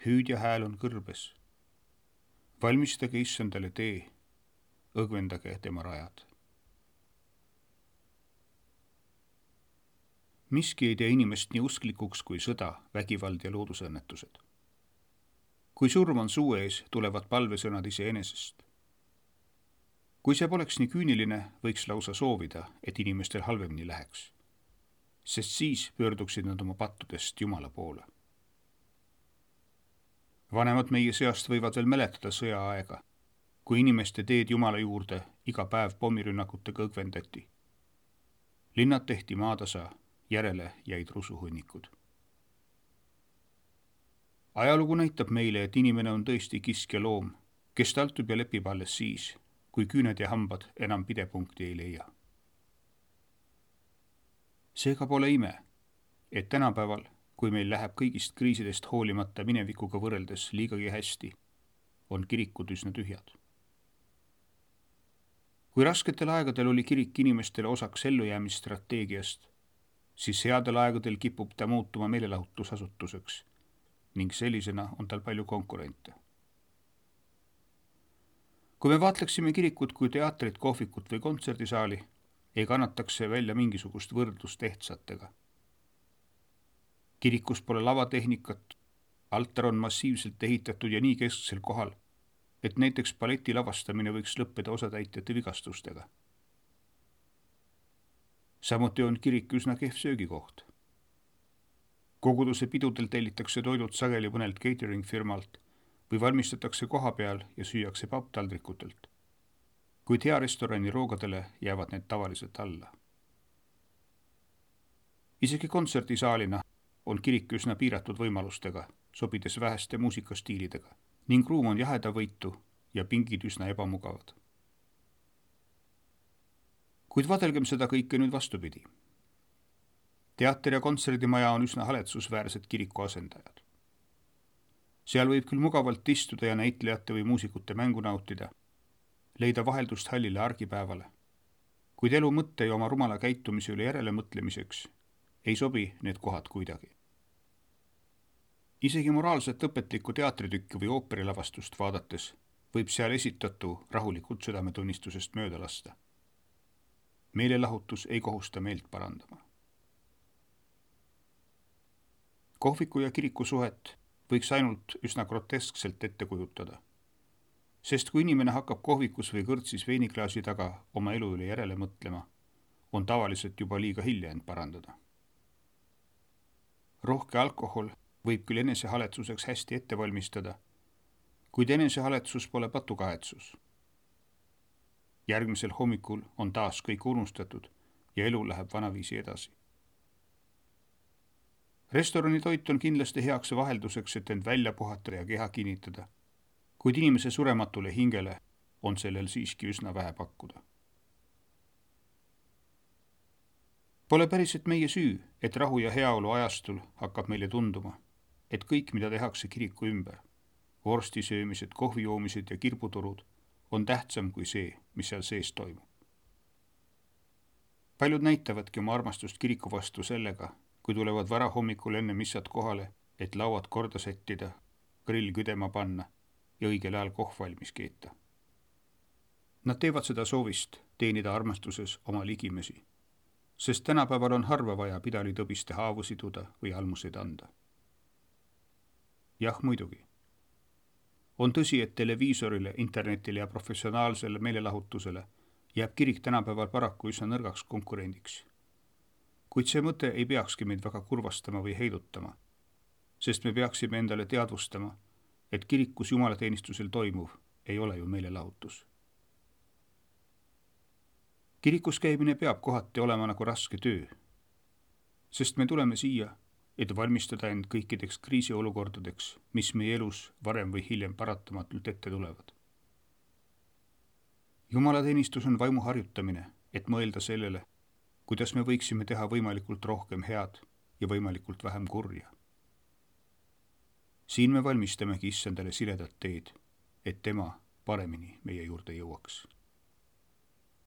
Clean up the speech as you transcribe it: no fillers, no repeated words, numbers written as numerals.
hüüdja hääl on kõrbes. Valmistage issandale tee, õgvendage tema rajad. Miski ei tee inimest nii usklikuks kui sõda, vägivald ja loodusõnnetused. Kui surm on suu ees, tulevad palvesõnad iseenesest. Kui see poleks nii küüniline, võiks lausa soovida, et inimestel halvemini läheks, sest siis pöörduksid nad oma pattudest Jumala poole. Vanemad meie seast võivad veel mäletada sõjaaega, kui inimeste teed Jumala juurde iga päev pommirünnakutega õgvendati. Linnad tehti maatasa, järele jäid rusuhunnikud. Ajalugu näitab meile, et inimene on tõesti kiskja loom, kes taltub ja lepib alles siis, kui küüned ja hambad enam pidepunkti ei leia. Seega pole ime, et tänapäeval, kui meil läheb kõigist kriisidest hoolimata minevikuga võrreldes liigagi hästi, on kirikud üsna tühjad. Kui rasketel aegadel oli kirik inimestele osaks ellujäämisstrateegiast, siis headel aegadel kipub ta muutuma meelelahutusasutuseks ning sellisena on tal palju konkurente. Kui me vaatleksime kirikut kui teatrit, kohvikut või kontserdisaali, ei kannataks see välja mingisugust võrdlust ehtsatega. Kirikus pole lavatehnikat, altar on massiivselt ehitatud ja nii kesksel kohal, et näiteks balleti lavastamine võiks lõppeda osatäitjate vigastustega. Samuti on kirik üsna kehv söögikoht. Koguduse pidudel tellitakse toidud sageli mõnelt catering firmalt või valmistatakse koha peal ja süüakse papptaldrikutelt. Kuid hea restorani roogadele jäävad need tavaliselt alla. Isegi kontserdisaalina on kirik üsna piiratud võimalustega, sobides väheste muusikastiilidega, ning ruum on jahedavõitu ja pingid üsna ebamugavad. Kuid vadelgem seda kõike nüüd vastupidi. Teater ja kontserdimaja on üsna haletsusväärsed kiriku asendajad. Seal võib küll mugavalt istuda ja näitlejate või muusikute mängu nautida, leida vaheldust hallile argipäevale, kuid elu mõtte ja oma rumala käitumise üle järele mõtlemiseks ei sobi need kohad kuidagi. Isegi moraalset õpetlikku teatritükki või ooperilavastust vaadates võib seal esitatu rahulikult südametunnistusest mööda lasta. Meelelahutus ei kohusta meelt parandama. Kohviku ja kiriku suhet võiks ainult üsna groteskselt ette kujutada, sest kui inimene hakkab kohvikus või kõrtsis veiniklaasi taga oma elu üle järele mõtlema, on tavaliselt juba liiga hilja end parandada. Rohke alkohol võib küll enesehaletsuseks hästi ette valmistada, kuid enesehaletsus pole patukahetsus. Järgmisel hommikul on taas kõik unustatud ja elu läheb vanaviisi edasi. Restorani toit on kindlasti heaks vahelduseks, et end välja puhata ja keha kinnitada, kuid inimese surematule hingele on sellel siiski üsna vähe pakkuda. Pole päriselt meie süü, et rahu ja heaolu ajastul hakkab meile tunduma, et kõik, mida tehakse kiriku ümber, vorstisöömised, kohvijoomised ja kirbuturud, on tähtsam kui see, mis seal sees toimub. Paljud näitavadki oma armastust kiriku vastu sellega, kui tulevad varahommikul enne missat kohale, et lauad korda sättida, grill küdema panna ja õigel ajal kohv valmis keeta. Nad teevad seda soovist teenida armastuses oma ligimesi, sest tänapäeval on harva vaja pidalitõbiste haavu siduda või almuseid anda. Jah, muidugi. On tõsi, et televiisorile, internetile ja professionaalsele meelelahutusele jääb kirik tänapäeval paraku üsna nõrgaks konkurendiks. Kuid see mõte ei peakski meid väga kurvastama või heidutama, sest me peaksime endale teadvustama, et kirikus jumalateenistusel toimuv ei ole ju meelelahutus. Kirikus käimine peab kohati olema nagu raske töö, sest me tuleme siia, et valmistada end kõikideks kriisiolukordadeks, mis meie elus varem või hiljem paratamatult ette tulevad. Jumalateenistus on vaimu harjutamine, et mõelda sellele, kuidas me võiksime teha võimalikult rohkem head ja võimalikult vähem kurja. Siin me valmistamegi issandale siledat teed, et tema paremini meie juurde jõuaks.